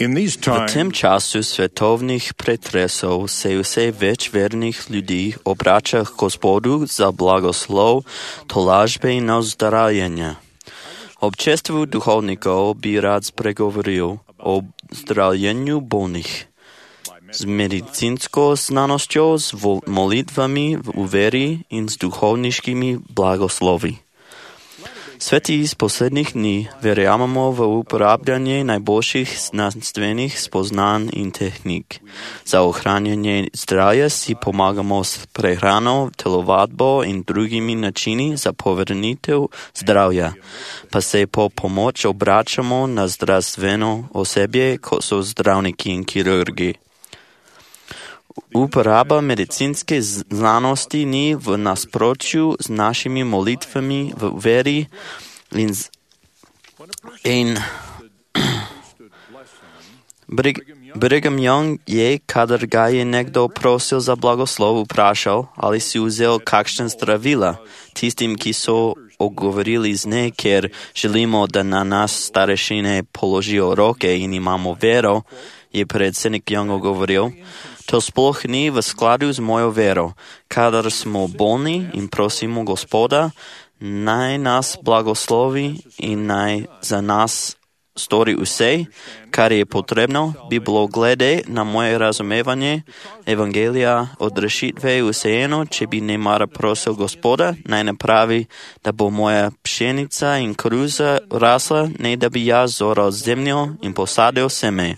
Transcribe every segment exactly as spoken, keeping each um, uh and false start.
В тим часу світовних претресов се усе веч верних людей обрача к Господу за благослов, толажбе на оздравлення. Обществу духовников би рад преговорил об здравленню больных. С медицинской знанostью, с молитвами в увере и с духовническими благослови. Svetí z posledných dní veriamo v uporabňanie najboljších znanstvených spoznán i technik. Za ochránenie zdravia si pomagamo s prehranou, telovadbou i druhými načiny za povrnitel zdravia. Pa se po pomoč obračamo na zdravstveno osebje, ko so zdravniki in kirurgi. Uporaba medicinske znanosti ni v nasprotju z našimi molitvami v veri in, in Brigham Young je, kadar ga je nekdo prosil za blagoslov, vprašal, ali si vzel kakšen zdravila tistim, ki so ogovorili z ne, ker želimo, da na nas starešine položijo roke in imamo vero, je predsednik Young ogovoril. To sploh ni v skladu z mojo vero. Kadar smo bolni in prosimo Gospoda, naj nas blagoslovi in naj za nas stori vse, kar je potrebno, bi bilo glede na moje razumevanje evangelija od rešitve vseeno, če bi nemara prosil Gospoda, naj napravi, da bo moja pšenica in koruza rasla, ne da bi jaz zoral zemljo in posadil seme.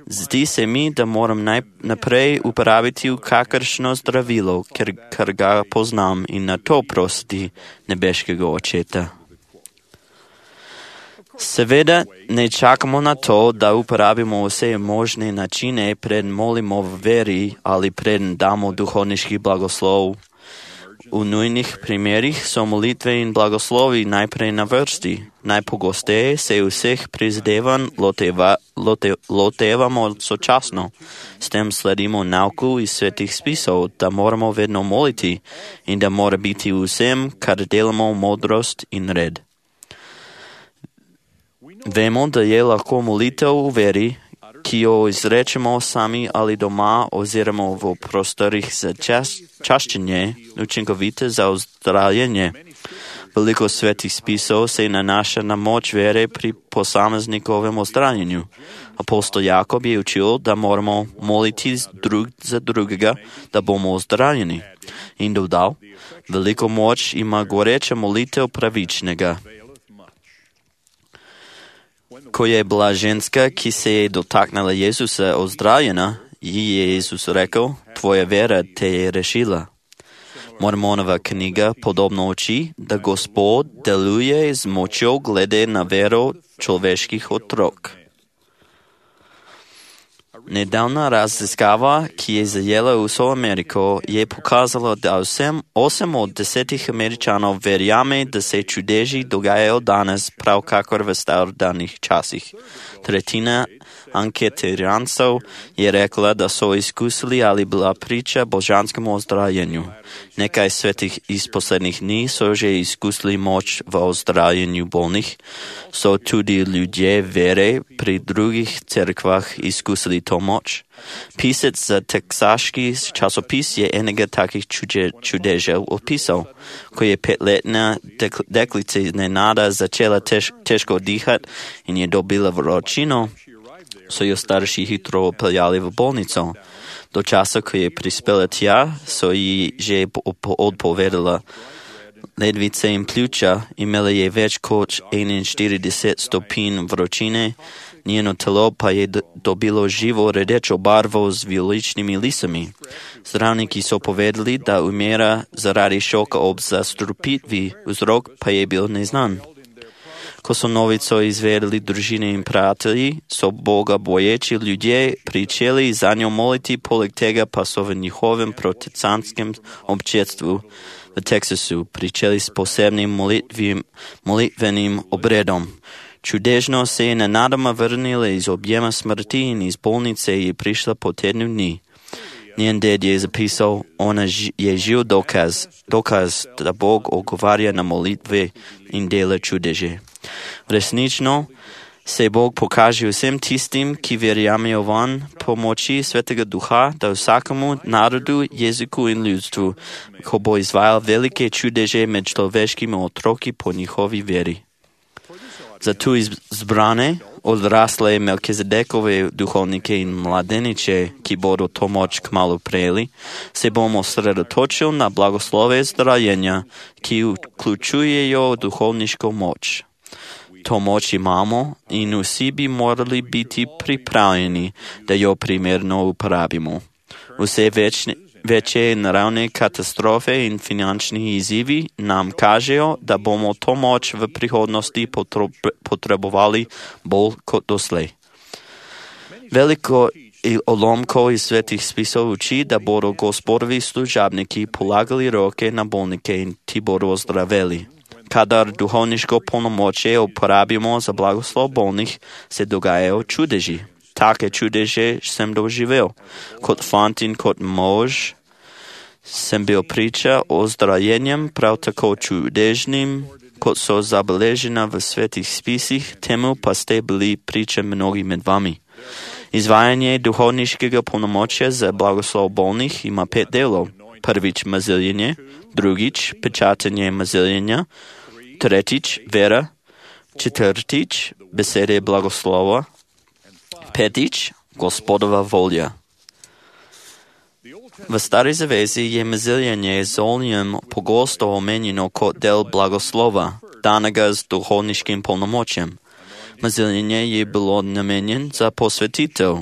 Zdi se mi, da moram najprej uporabiti kakršno zdravilo, ker, ker ga poznam in na to prositi nebeškega očeta. Seveda ne čakamo na to, da uporabimo vse možne načine, preden molimo v veri ali preden damo duhovniški blagoslov. V nujnih primerih so molitve in blagoslovi najprej na vrsti. Najpogosteje se vseh prizadevanj loteva, lote, lotevamo sočasno. S tem sledimo nauku iz svetih spisov, da moramo vedno moliti in da mora biti vsem, kar delamo, modrost in red. Vemo, da je lahko molitev v veri, ki jo izrečemo sami ali doma oziroma v prostorih za čas, čaščenje, učinkovite za ozdravljenje. Veliko svetih spisov se nanaša na moč vere pri posameznikovem ozdravljenju. Apostol Jakob je učil, da moramo moliti drug za drugega, da bomo ozdravljeni. In dodal, veliko moč ima goreča molitev pravičnega. Ko je bila ženska, ki se je dotaknila Jezusa, ozdravljena, ji je Jezus rekel, tvoja vera te je rešila. Mormonova knjiga podobno uči, da Gospod deluje z močjo glede na vero človeških otrok. Nedavna raziskava, ki je zajela vso Ameriko, je pokazala, da vsem osem od desetih Američanov verjame, da se čudeži dogajajo danes prav kakor v starodavnih časih. Tretjina anketirancev je rekla, da so izkusili ali bila priča božanskemu ozdravljenju. Nekaj svetih iz poslednjih dni so že izkusili moč v ozdravljenju bolnih. So tudi ljudje vere pri drugih cerkvah izkusili to moč. Pisec za teksaški časopis je enega takih čude, čudežev opisal. Ko je petletna dek, deklica nenada začela tež, težko dihati in je dobila vročino, so jo starši hitro peljali v bolnico. Do časa, ko je prispela tja, so ji že odpovedala ledvice in pljuča, imela je več kot enainštirideset stopinj vročine, njeno telo pa je dobilo živo rdečo barvo z vijoličnimi lisami. Zdravniki so povedali, da umira zaradi šoka ob zastrupitvi, vzrok pa je bil neznan. Ko so novico izvedeli družine in prijatelji, so Boga boječi ljudje pričeli za njo moliti, poleg tega pa so v njihovem protestantskem občestvu v Teksasu pričeli s posebnim molitvim, molitvenim obredom. Čudežno se je nenadoma vrnila iz objema smrti in iz bolnice je prišla po tednu dni. Njen ded je zapisal, ona je živ dokaz, dokaz, da Bog odgovarja na molitve in dela čudeže. Resnično Се Бог покаже усім тістим, ки віряме ован, помочі Святого Духа да всякому народу, язику і людству, кобо ізваял велике чудеже між човешкими отроки по ниховій вірі. За ту збране, odрасле Мелкизедекове духовнike i mladeniče, ki bodo to moć kmalo prejeli, se bomo sredotočili na blagoslove zdrajenja, ki uključujejo duhovniško moć. To moć imamo in vsi bi morali biti pripravljeni, da jo primerno uporabimo. Vse večne, večje naravne katastrofe in finančni izzivi nam kažejo, da bomo to moč v prihodnosti potrebovali bolj kot doslej. Veliko olomkov iz svetih spisov uči, da bodo gospodovi služabniki polagali roke na bolnike in ti bodo ozdraveli. Kadar duhovniško polnomočje uporabimo za blagoslov bolnih, se dogajajo čudeži. Take čudeže sem doživel. Kot fant in kot mož sem bil priča o zdrajenjem prav tako čudežnim, kot so zabeležena v svetih spisih, temu pa ste bili priča mnogi med vami. Izvajanje duhovniškega polnomočja za blagoslov bolnih ima pet delov. Prvič maziljenje, drugič pečatenje maziljenja, tretjič vera, četrtič besede blagoslova, petič gospodova volja. V Stari zavezi je maziljenje z oljem pogosto omenjeno kot del blagoslova, danega z duhovniškim polnomočjem. Maziljenje je bilo namenjen za posvetitev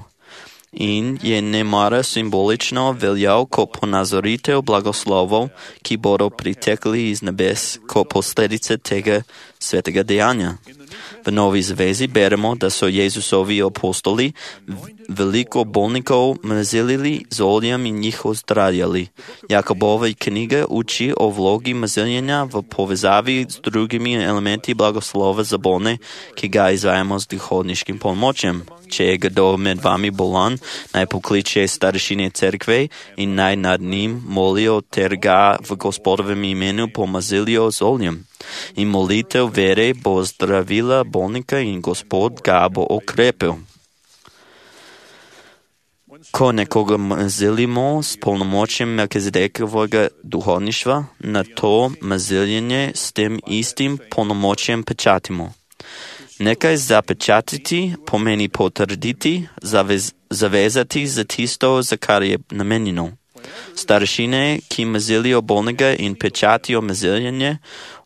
in je nemara simbolično veljal kot ponazoritev blagoslovov, ki bodo pritekli iz nebes kot posledice tega svetega dejanja. V Novi zavezi beremo, da so Jezusovi apostoli veliko bolnikov mazilili z oljem in jih ozdravljali. Jakobova knjiga uči o vlogi maziljenja v povezavi z drugimi elementi blagoslova za bolne, ki ga izvajamo z duhovniškim polnomočjem. Če je kdo med vami bolan, naj pokliče starešine cerkve in naj nad njim molijo ter ga v gospodovem imenu pomazilijo z oljem. In molitev vere bo zdravila bolnika in Gospod ga bo okrepil. Ko nekoga mazilimo s polnomočjem Melkizedekovega duhovništva, na to maziljenje s tem istim polnomočjem pečatimo. Nekaj zapečatiti pomeni potrditi, zavez, zavezati za tisto, za kar je namenjeno. Starešine, ki mazilijo bolnega in pečatijo maziljenje,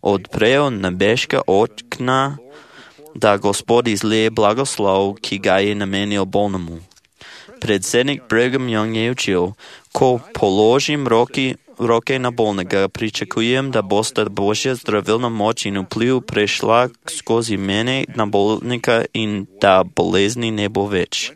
odprejo nebeška okna, da Gospod izlije blagoslov, ki ga je namenil bolnemu. Predsednik Brigham Young je učil, ko položim roki, roke na bolnega, pričakujem, da bosta Božja zdravilna moč in vpliv prešla skozi mene na bolnika in da bolezni ne bo več.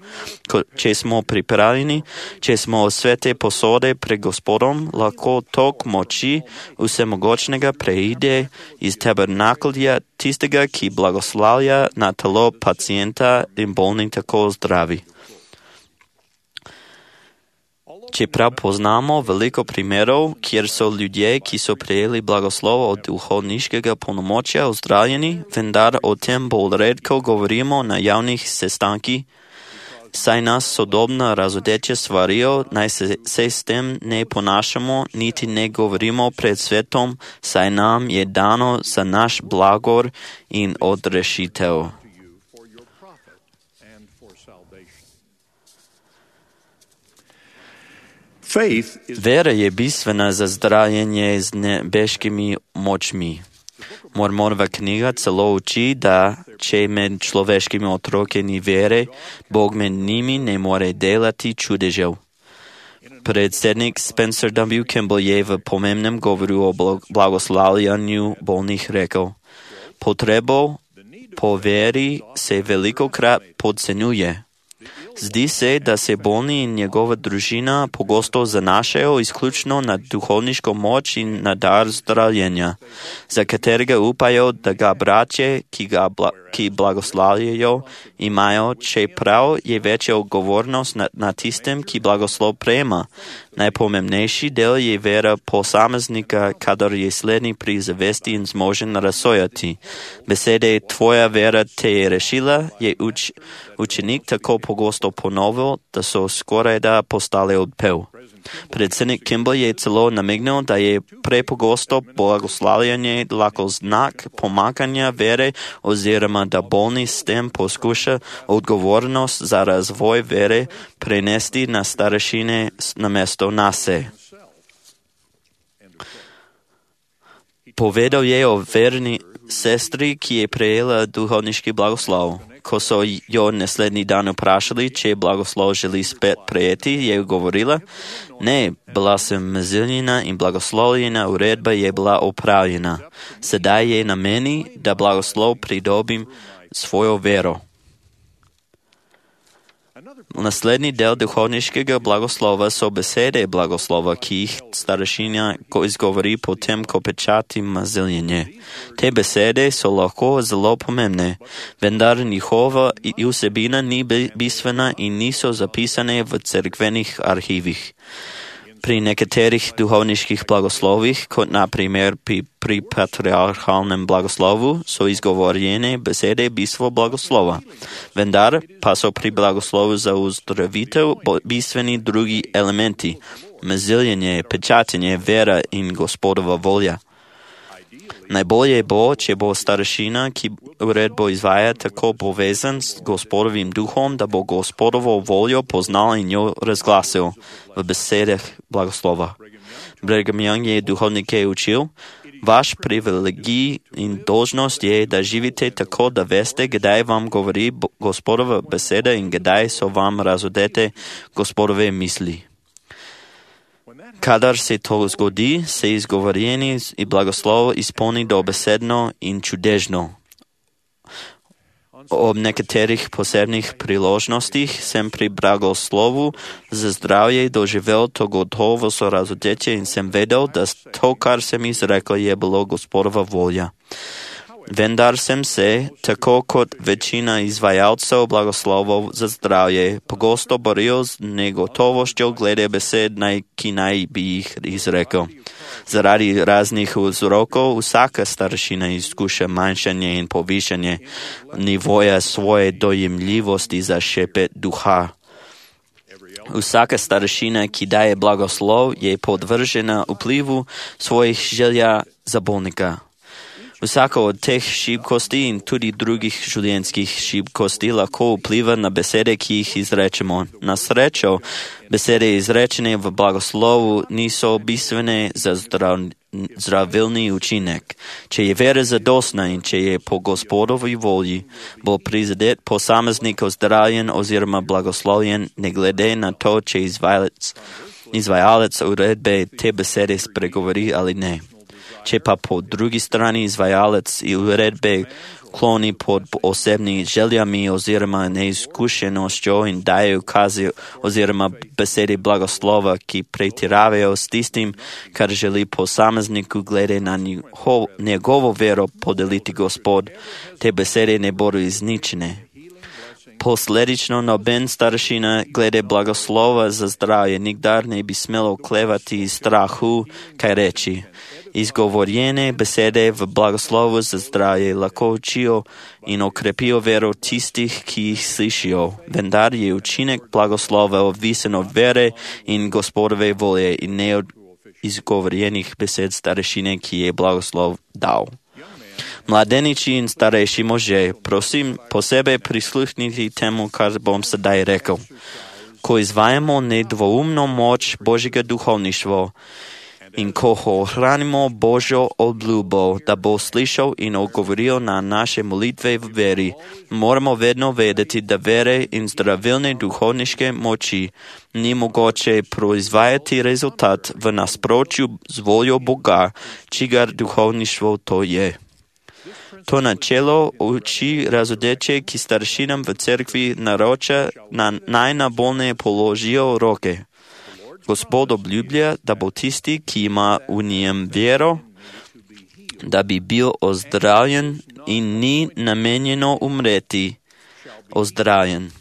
Ko, če smo pripravljeni, če smo svete posode pred Gospodom, lahko tok moči vsemogočnega preide iz tabernaklja tistega, ki blagoslavlja na telo pacienta in bolni tako zdravi. Čeprav poznamo veliko primerov, kjer so ljudje, ki so prejeli blagoslov od duhovniškega polnomočja, ozdravljeni, vendar o tem bolj redko govorimo na javnih sestankih, saj nas sodobna razodečja svarijo, naj se, se s tem ne ponašamo, niti ne govorimo pred svetom, saj nam je dano za naš blagor in odrešitev. Vera je bistvena za zdravljenje z nebeškimi močmi. Mormonova knjiga celo uči, da če med človeškimi otroke ni vere, Bog med njimi ne more delati čudežev. Predsednik Spencer W. Kimball je v pomembnem govoru o blagoslavljanju bolnih rekel: Potrebo po veri se velikokrat podcenjuje. Zdi se, da se bolni in njegova družina pogosto zanašajo izključno na duhovniško moč in na dar zdravljenja, za katerega upajo, da ga braće, ki ga bla, ki blagoslavljajo, imajo, čeprav je večja odgovornost na, na tistem, ki blagoslov prejema, Najpomembnejši del je vera posameznika, kadar je slednji pri zavesti in zmožen razsojati. Besede tvoja vera te je rešila, je uč, učenik tako pogosto ponovil, da so skorajda postale odpev. Predsednik Kimball je celo namignil, da je prepogosto blagoslavljanje lahko znak pomakanja vere oziroma da bolni s tem poskuša odgovornost za razvoj vere prenesti na starešine namesto nase. Povedal je o verni sestri, ki je prejela duhovniški blagoslov. Ko so jo naslednji dan vprašali, če blagoslov želi spet prejeti, je govorila, ne, bila sem mezilnjena in blagoslovljena uredba je bila opravljena. Sedaj je na meni, da blagoslov pridobim svojo vero. Naslednji del duhovniškega blagoslova so besede blagoslova, ki jih starešina izgovori potem, ko pečati maziljenje. Te besede so lahko zelo pomembne, vendar njihova vsebina ni bistvena in niso zapisane v cerkvenih arhivih. Pri nekaterih duhovniških blagoslovih, kot na primer pri, pri patriarhalnem blagoslovu, so izgovorjene besede bistvo blagoslova. Vendar pa so pri blagoslovu za uzdravitev bistveni drugi elementi, maziljenje, pečatenje, vera in Gospodova volja. Najbolje bo, če bo starešina, ki uredbo izvaja, tako povezan s Gospodovim duhom, da bo Gospodovo voljo poznal in jo razglasil v besedah blagoslova. Brigham Young je duhovnike učil, vaš privilegij in dolžnost je, da živite tako, da veste, kdaj vam govori Gospodova beseda in kdaj so vam razodete Gospodove misli. Kadar se to zgodi, se izgovorjeni in blagoslov izpolni dobesedno in čudežno. Ob nekaterih posebnih priložnostih sem pri blagoslovu za zdravje doživel to gotovo sorazodetje in sem vedel, da to, kar sem izrekel, je bilo Gospodova volja. Vendar sem se, tako kot večina izvajalcev blagoslovov za zdravje, pogosto boril z negotovoščjo glede besed, ki naj bi jih izrekel. Zaradi raznih vzrokov vsaka starešina izkuša manjšanje in povišanje nivoja svoje dojemljivosti za šepet duha. Vsaka starešina, ki daje blagoslov, je podvržena vplivu svojih želja za bolnika. Vsako od teh šibkosti in tudi drugih življenjskih šibkosti lahko vpliva na besede, ki jih izrečemo. Na srečo, besede izrečene v blagoslovu niso bistvene za zdrav, zdravilni učinek. Če je vera zadostna in če je po Gospodovi volji, bo prizadet posameznik ozdravljen oziroma blagoslovljen, ne glede na to, če izvajalec, izvajalec uredbe te besede spregovori ali ne. Če pa po drugi strani izvajalec uredbe kloni pod osebnimi željami oziroma neizkušenostjo in daje ukazi oziroma besede blagoslova, ki pretiravajo s tistim, kar želi posamezniku glede na njegovo, njegovo vero podeliti Gospod, te besede ne bodo izničene. Posledično noben starešina glede blagoslova za zdravje nikdar ne bi smelo klevati iz strahu, kaj reči. Izgovorjene besede v blagoslovu za zdravje lahko učijo in okrepijo vero tistih, ki jih slišijo, vendar je učinek blagoslova odvisen od vere in Gospodove volje in ne od izgovorjenih besed starešine, ki je blagoslov dal. Mladeniči in starejši može, prosim, posebej prisluhnite temu, kar bom sedaj rekel. Ko izvajamo nedvoumno moč Božjega duhovništva in ko ohranimo Božjo obljubo, da bo slišal in odgovoril na naše molitve v veri, moramo vedno vedeti, da vere in zdravilne duhovniške moči ni mogoče proizvajati rezultat v nasprotju z voljo Boga, čigar duhovništvo to je. To načelo uči razodeče, ki staršinam v cerkvi naroča na najnabolne položijo roke. Gospod obljublja, da bo tisti, ki ima v njem vero, da bi bil ozdravljen in ni namenjeno umreti, ozdravljen.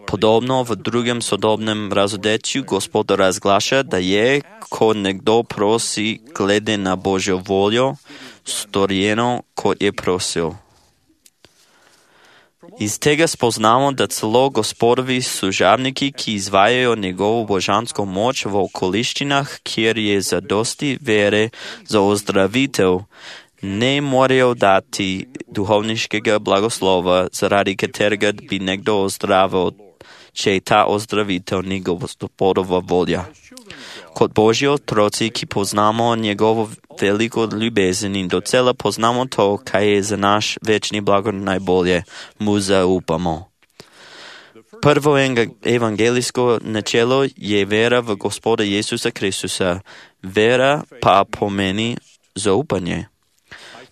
Подобно в другом содобном разодетju Господ разглаша да je ko nekdo prosi glede na Božjo voljo, storjeno kot je prosil. Iz tega spoznamo, da celo Gospodovi služabniki, ki izvajajo njegovo božansko moč v okoliščinah, kjer je zadosti vere za ozdravitev, ne morejo dati duhovniškega blagoslova, zaradi katerega bi nekdo ozdravil, če je ta ozdravitev ni Gospodova volja. Kot Božji otroci, ki poznamo njegovo veliko ljubezen in docela poznamo to, kaj je za naš večni blago najbolje, mu zaupamo. Prvo evangelijsko načelo je vera v Gospoda Jezusa Kristusa. Vera pa pomeni zaupanje.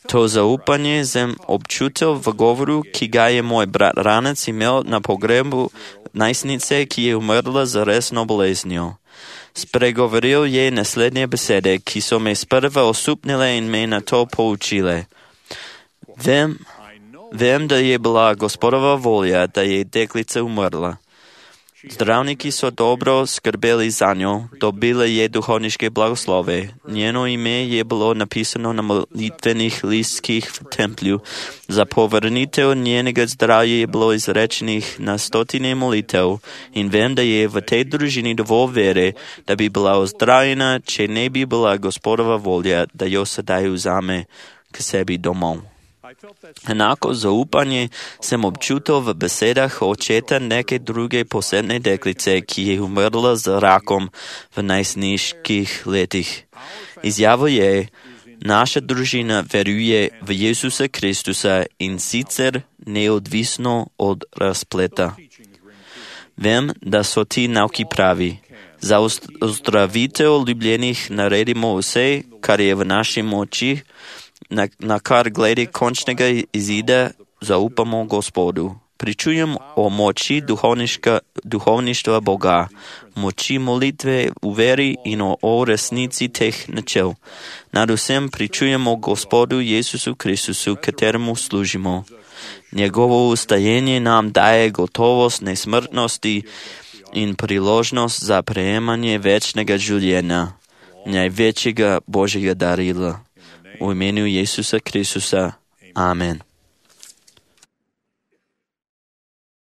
To zaupanje sem občutil v govoru, ki ga je moj brat Ranec imel na pogrebu najstnice, ki je umrla za resno boleznijo. Spregovoril je naslednje besede, ki so me sprva osupnile in me na to poučile. Vem, vem, da je bila Gospodova volja, da je deklica umrla. Zdravniki so dobro skrbeli za njo, dobile je duhovniške blagoslove. Njeno ime je bilo napisano na molitvenih listkih v templju. Za povrnitev njenega zdravja je bilo izrečenih na stotine molitev in vem, da je v tej družini dovolj vere, da bi bila ozdravljena, če ne bi bila Gospodova volja, da jo sedaj vzame k sebi domov. Enako zaupanje sem občutil v besedah očeta neke druge posebne deklice, ki je umrla z rakom v najstniških letih. Izjavo je, naša družina veruje v Jezusa Kristusa in sicer neodvisno od razpleta. Vem, da so ti nauki pravi. Za ozdravitev ljubljenih naredimo vse, kar je v naši moči, Na, na kar glede končnega izida zaupamo Gospodu. Pričujem o moči duhovništva Boga, moči molitve v veri in o, o resnici teh načel. Nad vsem pričujemo Gospodu Jezusu Kristusu, kateremu služimo. Njegovo ustajenje nam daje gotovost nesmrtnosti in priložnost za prejemanje večnega življenja, največjega Božjega darila. V imenu Jezusa Kristusa. Amen.